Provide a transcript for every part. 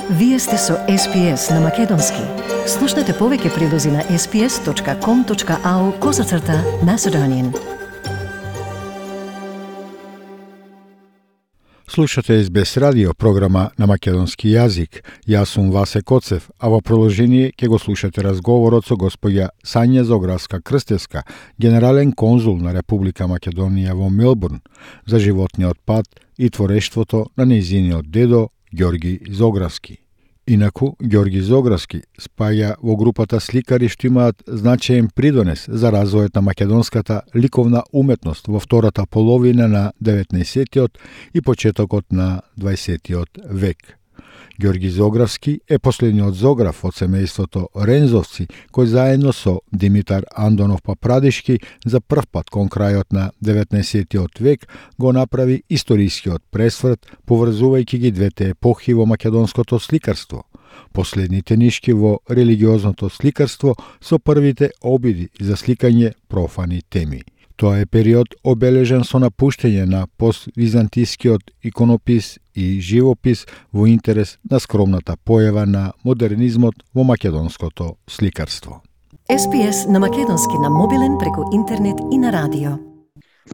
Вие сте со SPS на Македонски. Слушнете повеќе прилози на sps.com.au/Macedonian. Слушате SBS радио, програма на македонски јазик. Јас сум Васе Коцев, а во продолжение ќе го слушате разговорот со госпоѓа Сања Зографска-Крстевска, генерален конзул на Република Македонија во Мелбурн, за животниот пат и творештвото на нејзиниот дедо Ѓорги Зографски. Инаку, Ѓорги Зографски спаја во групата сликари што имаат значаен придонес за развојот на македонската ликовна уметност во втората половина на 19-тиот и почетокот на 20-тиот век. Ѓорги Зографски е последниот Зограф од семејството Рензовци, кој заедно со Димитар Андонов Папрадишки за прв пат кон крајот на 19-тиот век го направи историскиот пресврт, поврзувајќи ги двете епохи во македонското сликарство. Последните нишки во религиозното сликарство со првите обиди за сликање профани теми. Тоа е период обележен со напуштање на поствизантискиот иконопис и живопис во интерес на скромната појава на модернизмот во македонското сликарство. SPS на Македонски на мобилен преку интернет и на радио.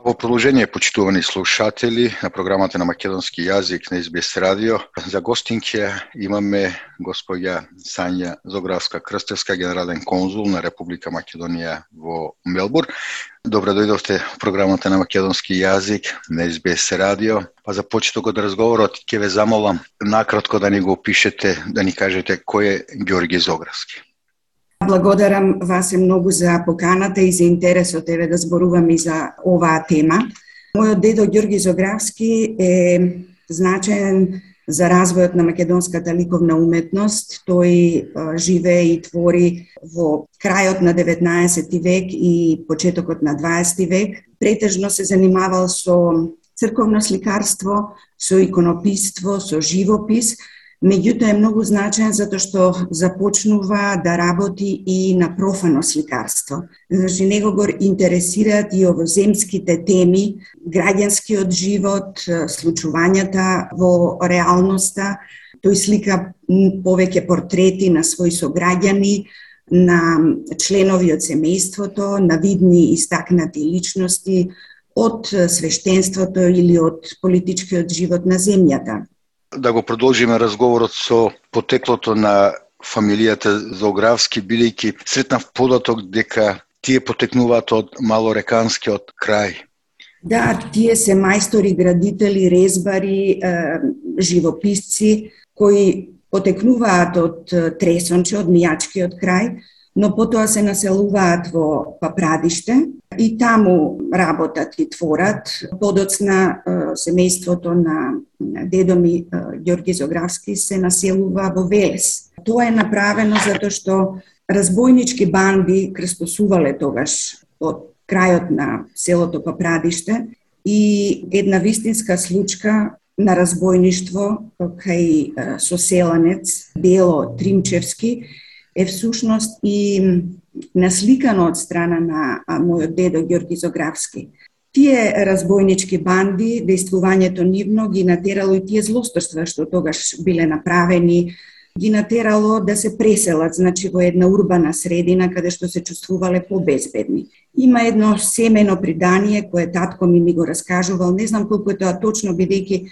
Во продолжение, почитувани слушатели на програмата на македонски јазик на SBS радио, за гостинке имаме госпоѓа Сања Зографска-Крстевска, генерален конзул на Република Македонија во Мелбурн. Добро дојдовте во програмата на македонски јазик на SBS радио. Па за почетокот од разговорот ќе ве замолам накратко да ни го опишете, да ни кажете кој е Ѓорги Зографски. Благодарам вас многу за поканата и за интересот да зборувам и за оваа тема. Мојот дедо Ѓорги Зографски е значаен за развојот на македонската ликовна уметност. Тој живее и твори во крајот на 19 век и почетокот на 20 век. Претежно се занимавал со црковно сликарство, со иконопиство, со живопис. Меѓутоа е многу значаен затоа што започнува да работи и на профано сликарство. Значи, него го интересираат и овоземските теми, граѓанскиот живот, случувањата во реалноста. Тој слика повеќе портрети на своји сограѓани, на членови од семејството, на видни истакнати личности од свештенството или од политичкиот живот на земјата. Да го продолжиме разговорот со потеклото на фамилијата Зографски, бидејќи сретнав податок дека тие потекнуваат од малореканскиот крај. Да, тие се мајстори, градители, резбари, живописци кои потекнуваат од Тресонче, од Мијачкиот крај, но потоа се населуваат во Папрадиште и таму работат и творат. Подоцна семејството на дедо ми Ѓорги Зографски се населува во Велес. Тоа е направено затоа што разбойнички банди крстосувале тогаш од крајот на селото Папрадиште и една вистинска случка на разбойништво кај соселанец Дело Тримчевски е всушност и насликано од страна на мојот дедо Ѓорги Зографски. Тие разбойнички банди, дејствувањето нивно ги натерало и тие злосторства што тогаш биле направени, ги натерало да се преселат, значи во една урбана средина каде што се чувствувале побезбедни. Има едно семено предание кое татко ми го раскажувал, не знам колку е тоа точно, бидејќи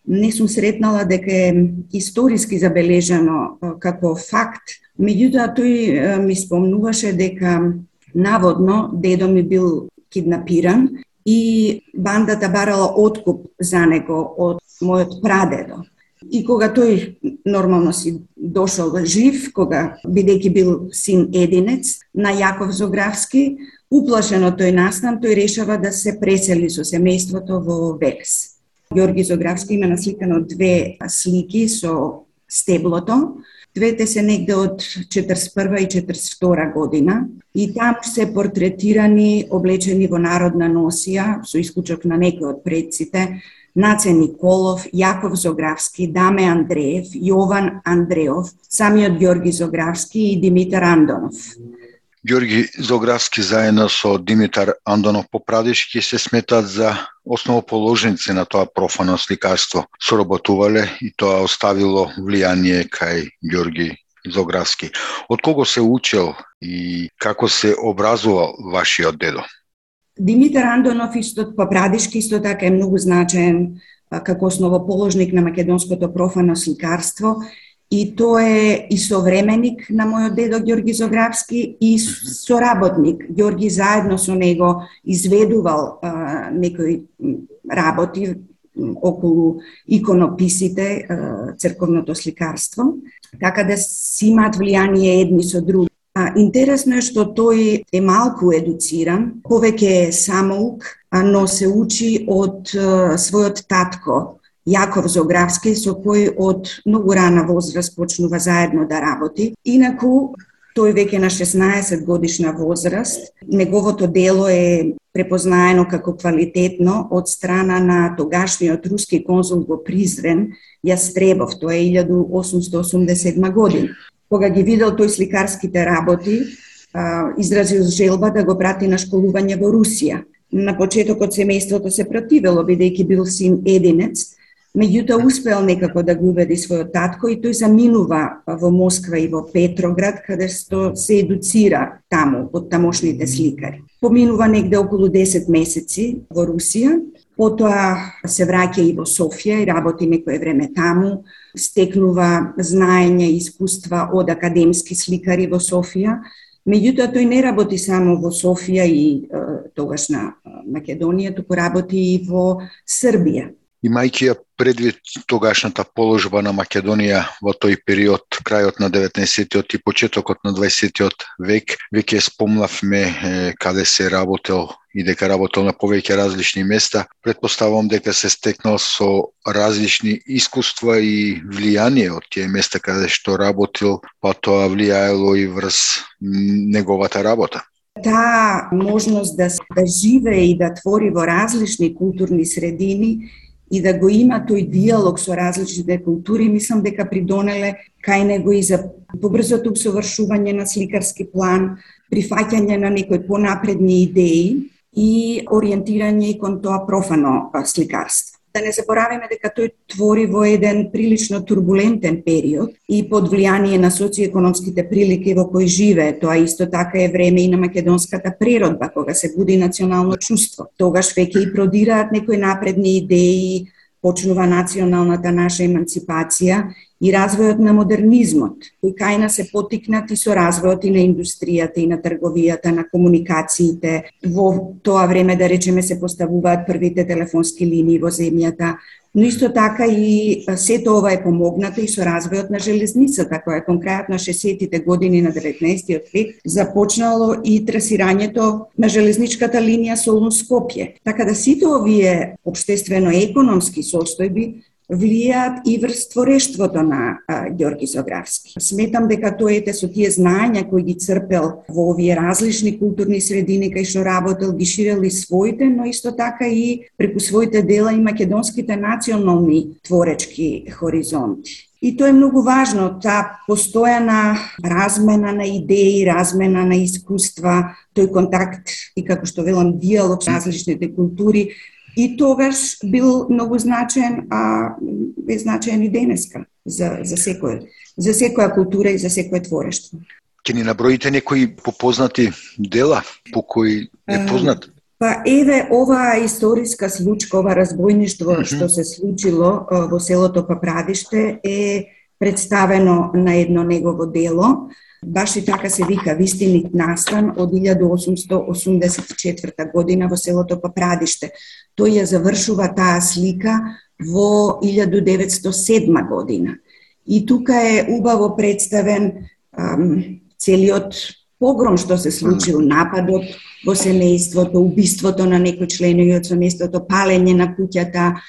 не сум сретнала дека е историски забележано како факт. Меѓутоа тој ми спомнуваше дека наводно дедо ми бил киднапиран и бандата барала откуп за него од мојот прадедо. И кога тој нормално си дошол жив, кога бидејќи бил син единец на Јаков Зографски, уплашено тој настан, тој решава да се пресели со семејството во Велес. Ѓорги Зографски има насликано две слики со стеблото. Двете се негде од 41 и 42 година и таму се портретирани, облечени во народна носија, со исклучок на некои од предците, Наце Николов, Јаков Зографски, Даме Андреев, Јован Андреов, самиот Ѓорги Зографски и Димитар Андонов. Ѓорги Зографски заедно со Димитар Андонов Попрадишки се сметат за основоположници на тоа профано сликарство. Соработувале и тоа оставило влијание кај Ѓорги Зографски. Од кого се учел и како се образувал вашиот дедо? Димитар Андонов Попрадишки исто така е многу значаен како основоположник на македонското профано сликарство и тој е и современик на мојот дедо Ѓорги Зографски и соработник. Ѓорги заедно со него изведувал некои работи околу иконописите, црковното сликарство, така да си имаат влијание едни со други. Интересно е што тој е малку едуциран, повеќе е самоук, но се учи од својот татко, Јаков Зографски, со кој од многу рана возраст почнува заедно да работи. Инаку, тој веќе на 16 годишна возраст, неговото дело е препознаено како квалитетно од страна на тогашниот руски конзул во Призрен, Јастребов, тоа е 1887 година. Кога ги видел тој сликарските работи, изразил желба да го прати на школување во Русија. На почетокот семејството се противело, бидејќи бил син единец, меѓутоа успеал некако да го убеди својот татко и тој заминува во Москва и во Петроград, каде што се едуцира таму од тамошните сликари. Поминува негде околу 10 месеци во Русија, потоа се враќа и во Софија и работи некое време таму, стекнува знаење и искуства од академски сликари во Софија. Меѓутоа, тој не работи само во Софија и тогашна Македонија, туку работи и во Србија. Имајќи ја предвид тогашната положба на Македонија во тој период, крајот на 19-тиот и почетокот на 20-тиот век, веќе спомнавме каде се работел и дека работел на повеќе различни места. Предпоставувам дека се стекнал со различни искуства и влијание од тие места каде што работил, па тоа влијаело и врз неговата работа. Таа можност да живее и да твори во различни културни средини и да го има тој диалог со различните култури, мислам дека придонеле кај него и за побрзото усовршување на сликарски план, прифаќање на некои понапредни идеи и ориентирање и кон тоа профано сликарство. Да не забораваме дека тој твори во еден прилично турбулентен период и под влијание на социоекономските прилики во кои живее. Тоа исто така е време и на македонската природба, кога се буди национално чувство. Тогаш веќе и продираат некои напредни идеи, почнува националната наша еманципација и развојот на модернизмот, кој кај нас се потикнати со развојот и на индустријата и на трговијата, на комуникациите. Во тоа време, да речеме, се поставуваат првите телефонски линии во земјата, но исто така и сето ова е помогнато и со развојот на железницата, која кон крајот на 60-тите години на 19-тиот век започнало и трасирањето на железничката линија Солун-Скопје. Така да сите овие општествено-економски состојби влијаат и врз творештвото на Ѓорги Зографски. Сметам дека тој со тие знаења кои ги црпел во овие различни културни средини кај што работел, ги ширел и своите, но исто така и преку своите дела и македонските национални творечки хоризонти. И тоа е многу важно, таа постојана размена на идеи, размена на искуства, тој контакт и, како што велам, диалог со различните култури, и тогаш бил многу значаен, а е значаен и денеска за секоја култура и за секое творештво. Ќе ни наброите некои попознати дела по кои е познат? Па еве оваа историска случка, ова разбојништво што се случило во селото Попрадиште е представено на едно негово дело. Баш и така се вика Вистинит настан од 1884 година во селото Попрадиште. Тој ја завршува таа слика во 1907 година. И тука е убаво представен целиот погром што се случил, нападот во семејството, убиството на некои членови од семејството, палење на куќата,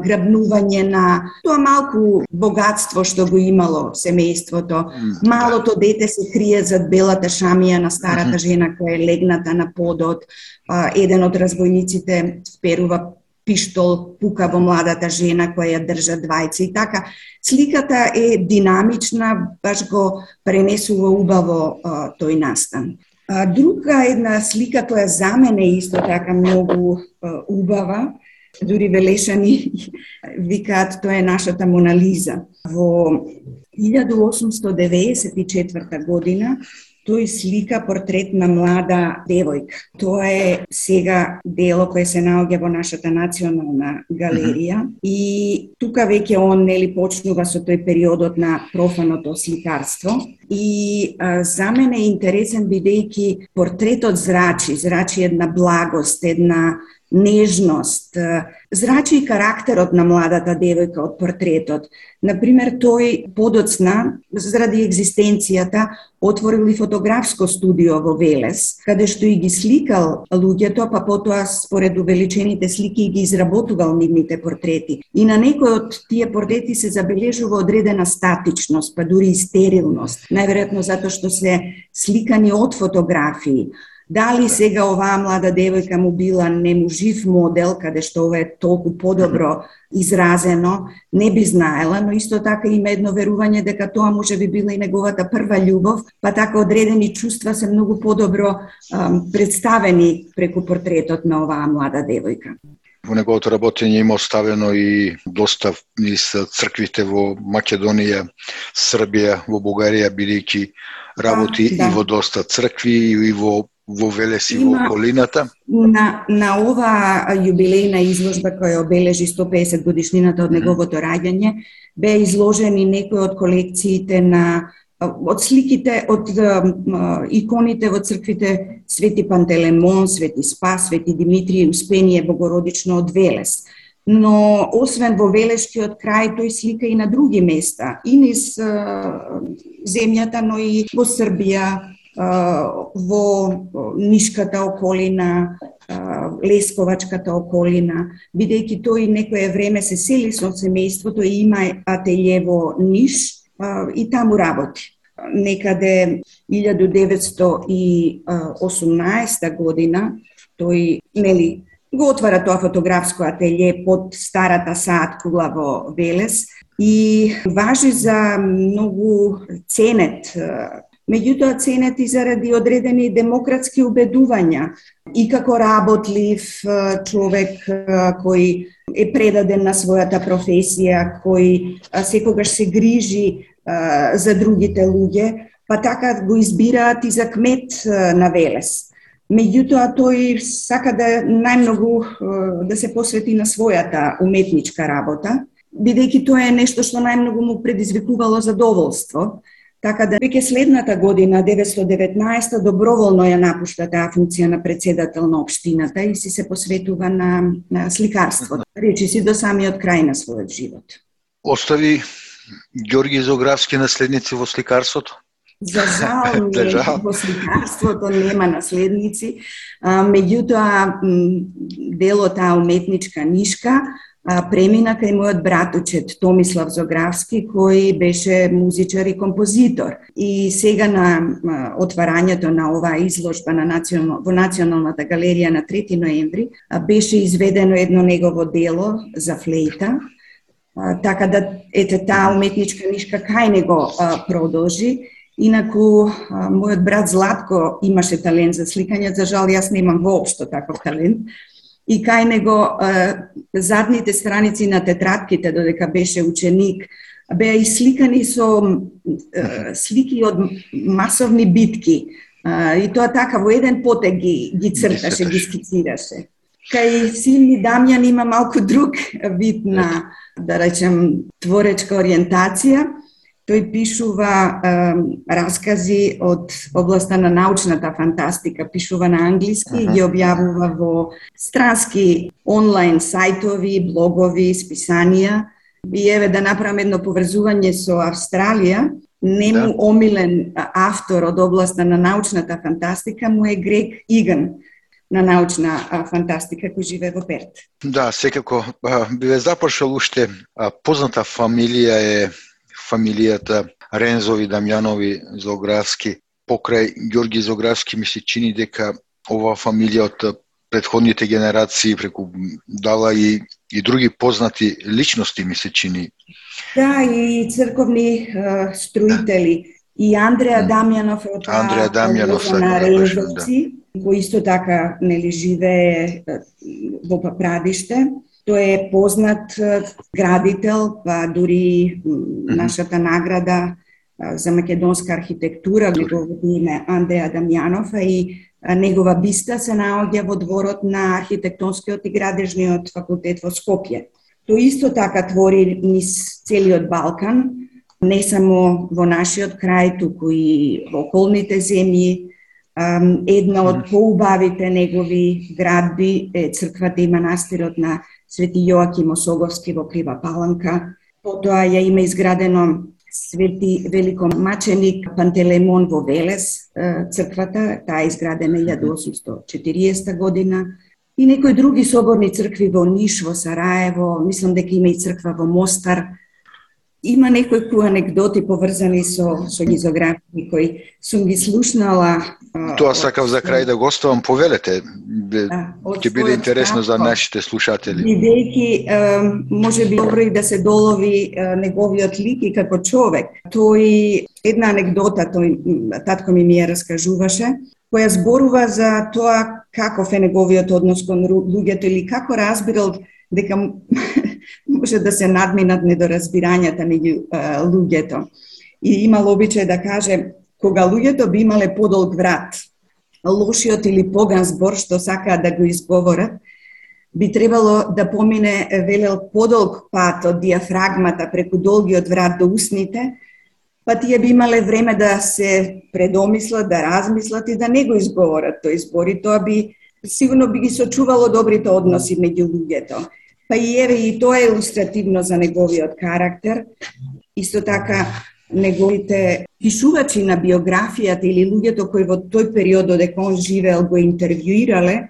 грабнување на тоа малку богатство што го имало семејството. Малото дете се крие зад белата шамија на старата жена која е легната на подот. Еден од разбојниците вперува пиштол, пука во младата жена која ја држа двајца и така. Сликата е динамична, баш го пренесува убаво тој настан. Друга една слика која за мене исто така многу убава, дури Велешани викаат тоа е нашата Мона Лиза. Во 1894 година тој слика портрет на млада девојка. Тоа е сега дело кое се наоѓа во нашата национална галерија и тука веќе он почнува со тој периодот на профаното сликарство. И за мене е интересен бидејќи портретот зрачи една благост, една нежност, зрачи и карактерот на младата девојка од портретот. Например, тој подоцна, заради екзистенцијата, отворил и фотографско студио во Велес, каде што и ги сликал луѓето, па потоа според увеличените слики ги изработувал нивните портрети. И на некои од тие портрети се забележува одредена статичност, па дури и стерилност. Најверојатно затоа што се сликани од фотографии. Дали сега оваа млада девојка му била нему жив модел, каде што ова е толку подобро изразено, не би знаела, но исто така има едно верување дека тоа може би била и неговата прва љубов, па така одредени чувства се многу подобро представени преку портретот на оваа млада девојка. Во неговото работење има оставено и доста низ црквите во Македонија, Србија, во Бугарија, бидејќи работи и во доста цркви и во Велес и во околината. На ова јубилејна изложба која обележи 150 годишнината од неговото раѓање, беа изложени некои од колекциите од сликите, од иконите во црквите Свети Пантелемон, Свети Спас, Свети Димитрije, Успение Богородично од Велес. Но освен во Велешкиот крај, тој слика и на други места, и низ земјата, но и во Србија, во Нишката околина, Лесковачката околина, бидејќи тој некое време се сели со семејството и има ателје во Ниш и таму работи. Некаде 1918 година тој го отвара тоа фотографско ателје под старата саат кула во Велес и важи за многу ценет. Меѓутоа ценет и заради одредени демократски убедувања и како работлив човек кој е предаден на својата професија, кој секогаш се грижи за другите луѓе, па така го избираат и за кмет на Велес. Меѓутоа тој сака да најмногу да се посвети на својата уметничка работа, бидејќи тоа е нешто што најмногу му предизвикувало задоволство. Така да веќе следната година, 1919, доброволно ја напушта таа функција на председател на општината и се посветува на сликарството. Речи си до самиот крај на својот живот. Остави Ѓорги Зографски наследници во сликарството? За жал, во сликарството нема наследници. Меѓутоа, делото уметничка нишка премина кај мојот братучет Томислав Зографски, кој беше музичар и композитор. И сега на отварањето на оваа изложба во Националната галерија на 3 ноември беше изведено едно негово дело за флейта, така да таа уметничка нишка кај него продолжи. Инаку, мојот брат Златко имаше талент за сликање, за жал јас немам воопшто таков талент. И кај него задните страници на тетрадките, додека беше ученик, беа исликани со слики од масовни битки. И тоа така во еден потек ги црташе, ги скицираше. Кај син ми Дамјан има малку друг вид на, да речем, творечка ориентација. Тој пишува раскази од областа на научната фантастика, пишува на англиски и ги објавува во странски онлайн сајтови, блогови, списанија. И еве да направам едно поврзување со Австралија. Нему омилен автор од областа на научната фантастика му е Грег Иган на научна фантастика кој живее во Перт. Да, секако би ве запошал уште позната фамилија е фамилијата Рензови Дамјанови Зографски. Покрај Ѓорги Зографски ми се чини дека оваа фамилија од претходните генерации преку дала и други познати личности ми се чини. Да, и црковни строители. И Андреа Дамјанов од на Рензовци, кој исто така живее во Папрадиште. Тој е познат градител, па дури нашата награда за македонска архитектура, неговото име Андреа Дамјанов, и негова биста се наоѓа во дворот на архитектонскиот и градежниот факултет во Скопје. Тој исто така твори низ целиот Балкан, не само во нашиот крај, туку и во околните земји. Една од поубавите негови градби е црквата и манастирот на Свети Јоаким Осоговски во Крива Паланка. Потоа ја има изградено Свети великомаченик Пантелеймон во Велес, црквата, таа е изградена 1840 година. И некои други соборни цркви во Ниш, во Сараево, мислам дека има и црква во Мостар. Има некои анекдоти поврзани со гизографии кои сум ги слушнала. Тоа сакав за крај да гостувам, повелете. Ќе биде интересно за нашите слушатели. Бидејќи може би добро и да се долови неговиот лик и како човек. Тој една анекдота татко ми ја раскажуваше, која зборува за тоа каков е неговиот однос кон луѓето или како разбирал дека може да се надминат недоразбирањата меѓу луѓето. И имал обичај да каже, кога луѓето би имале подолг врат, лошиот или поган збор што сакаат да го изговорат, би требало да помине, велел, подолг пат од диафрагмата преку долгиот врат до усните, па тие би имале време да се предомислат, да размислат и да не го изговорат тој збор. И тоа би сигурно би ги сочувало добрите односи меѓу луѓето. Па и еве и тоа е илустративно за неговиот карактер. Исто така неговите пишувачи на биографијата или луѓето кои во тој период додека он живеел го интервјуирале,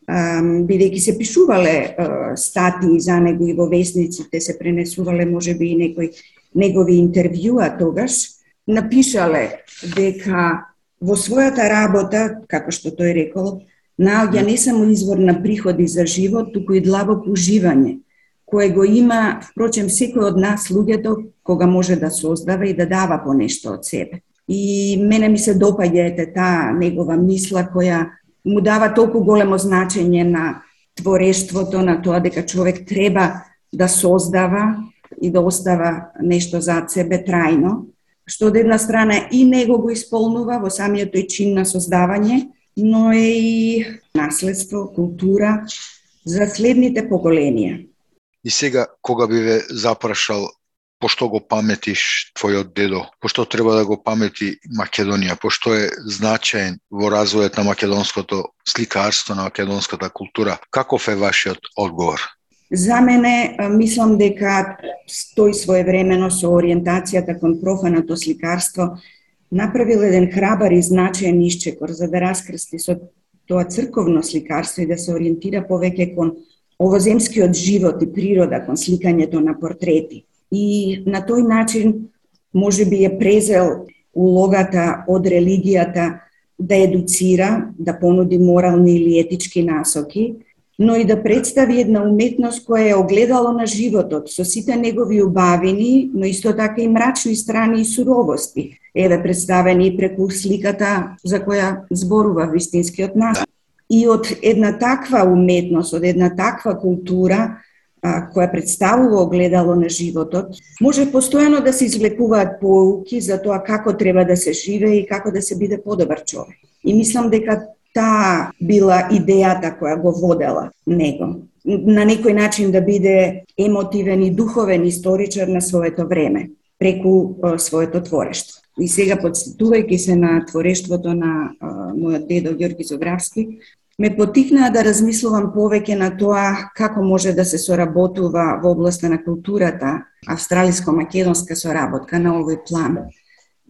бидејќи се пишувале статии за него и во весниците се пренесувале можеби и некои негови интервјуа тогаш, напишале дека во својата работа, како што тој рекол, наоѓа не само извор на приходи за живот, туку и длабоко уживање, кое го има, впрочем, секој од нас, луѓето, кога може да создава и да дава по нешто од себе. И мене ми се допаѓа таа негова мисла која му дава толку големо значење на творештвото, на тоа дека човек треба да создава и да остава нешто зад себе трајно, што од една страна и него го исполнува во самиот тој чин на создавање, но е и наследство, култура за следните поколенија. И сега, кога би ве запрашал, пошто го паметиш твојот дедо, пошто треба да го памети Македонија, пошто е значаен во развојот на македонското сликарство, на македонската култура, каков е вашиот одговор? За мене, мислам дека тој своевремено со ориентацијата кон профаното сликарство направил еден храбар и значаен исчекор за да раскрсти со тоа црковно сликарство и да се ориентира повеќе кон овоземскиот живот и природа, кон сликањето на портрети. И на тој начин можеби е презел улогата од религијата да едуцира, да понуди морални или етички насоки, но и да представи една уметност која е огледало на животот, со сите негови убавини, но исто така и мрачни страни и суровости, еве представени преку сликата за која зборува вистинскиот нас. И од една таква уметност, од една таква култура, која представува огледало на животот, може постојано да се извлекуваат поуки за тоа како треба да се живее и како да се биде подобар човек. И мислам дека таа била идејата која го водела него. На некој начин да биде емотивен и духовен историчар на своето време, преку своето творештво. И сега, подсетувајќи се на творештвото на мојот дедо Ѓорги Зографски, ме потикнаа да размислувам повеќе на тоа како може да се соработува во областа на културата австралиско-македонска соработка на овој план.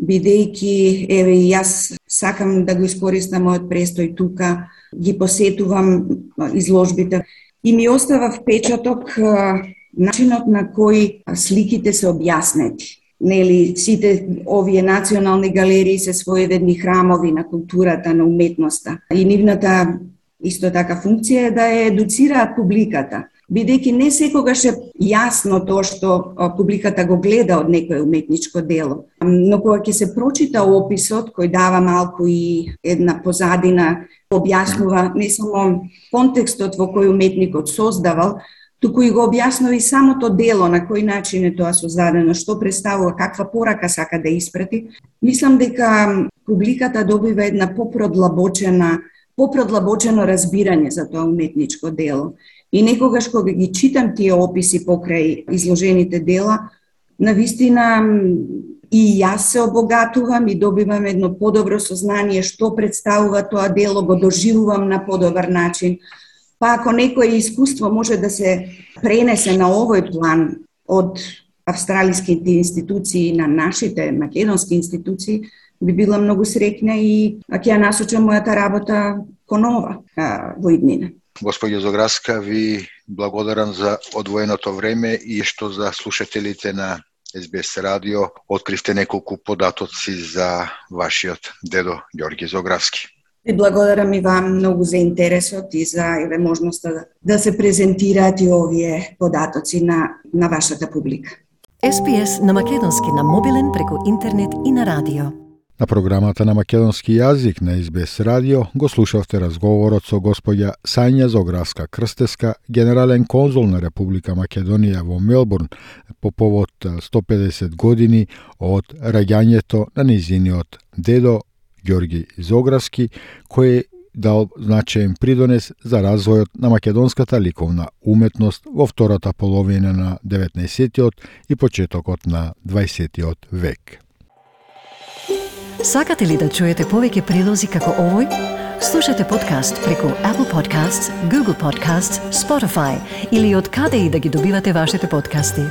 Бидејќи, еве и јас сакам да го искористам мојот престој тука, ги посетувам изложбите и ми остава впечаток начинот на кој сликите се објаснети. Нели, сите овие национални галерии се своевидни храмови на културата, на уметноста. И нивната исто така функција е да ја едуцираат публиката. бидејќи не секогаш е јасно тоа што публиката го гледа од некое уметничко дело. Но кога ќе се прочита описот, кој дава малку и една позадина, објаснува не само контекстот во кој уметникот создавал, туку и го објаснува и самото дело, на кој начин е тоа создадено, што представува, каква порака сака да испрати. Мислам дека публиката добива една поproдлабочено разбирање за тоа уметничко дело. И некогаш кога ги читам тие описи покрај изложените дела, навистина и јас се обогатувам и добивам едно подобро сознание што представува тоа дело, го доживувам на подобар начин. Па ако некое искуство може да се пренесе на овој план од австралиските институции на нашите македонски институции, би била многу среќна и ќе ја насочам мојата работа кон ова во иднина. Господја Зограска, ви благодарам за одвоеното време и што за слушателите на СБС радио откривте неколку податоци за вашиот дедо Ѓорги Зогравски. Ви благодарам и вам многу за интересот и за можноста да се презентираат и овие податоци на вашата публика. SPS на македонски на мобилен преку интернет и на радио. На програмата на македонски јазик на СБС радио го слушавте разговорот со господја Сања Зогравска Крстеска, генерален конзул на Република Македонија во Мелбурн по повод 150 години од раѓањето на нејзиниот дедо Ѓорги Зогравски, кој дал значаен придонес за развојот на македонската ликовна уметност во втората половина на 19-тиот и почетокот на 20-тиот век. Сакате ли да чуете повеќе прилози како овој? Слушате подкаст преку Apple Podcasts, Google Podcasts, Spotify или од каде и да ги добивате вашите подкасти.